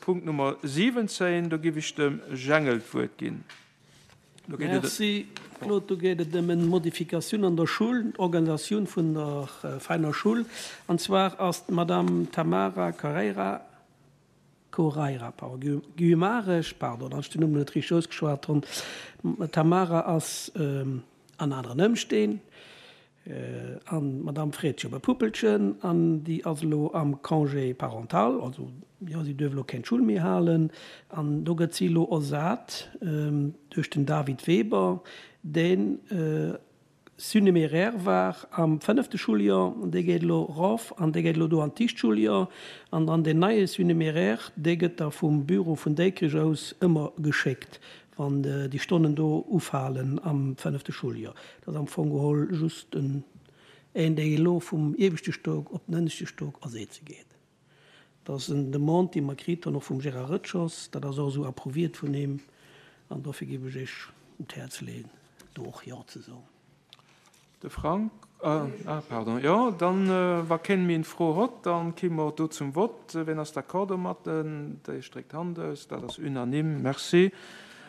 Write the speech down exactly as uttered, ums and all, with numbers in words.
Punkt Nummer siwwenzéin, do giff ech dem Jengel d'Wuert ginn. Do geet et. Merci, Claude. Do geet et ëm eng Modifikatioun an der Schoul, d'Organisatioun vun der Veiner Schoul. An zwar ass d'Madame Tamara Carreira, Correira, pardon, Guimarães, pardon, datt ech den Numm net richteg ausgeschwat hunn. D'Tamara ass an aneren Ëmstänn. An d'Madame freet sech op e Puppelchen an déi ass elo am Congé parental, also jo, si duerf elo keng Schull méi halen. An do gëtt si elo ersat duerch den David Weber, deen Surnuméraire war am fënnefte Schuljoer, an dee geet elo erof an dee geet elo do an d'Icht Schuljoer. An dann deen neie Surnuméraire, dee gëtt da vum Büro vun Déikrich aus ëmmer geschéckt, wann déi Stonnen do ufalen am fënnefte Schuljoer. Dat ass am Fong geholl just en, een, dee elo vum ieweschte Stock op den ënneschte Stock ersetze geet. Dat ass en Demande, déi mer kritt hunn, och vum Gérard Rëtschers. Dat ass och esou approuviert vun him. An dofir géif ech Iech un d'Häerz leeën, do och Jo ze soen. De Frank, ah, pardon, jo, dann, wa keen méi en Fro hott, dann ki mer do zum Vott. Ween ass d'accord domatten? Déi stréckt d'Hand aus. Dat ass unanime. Merci.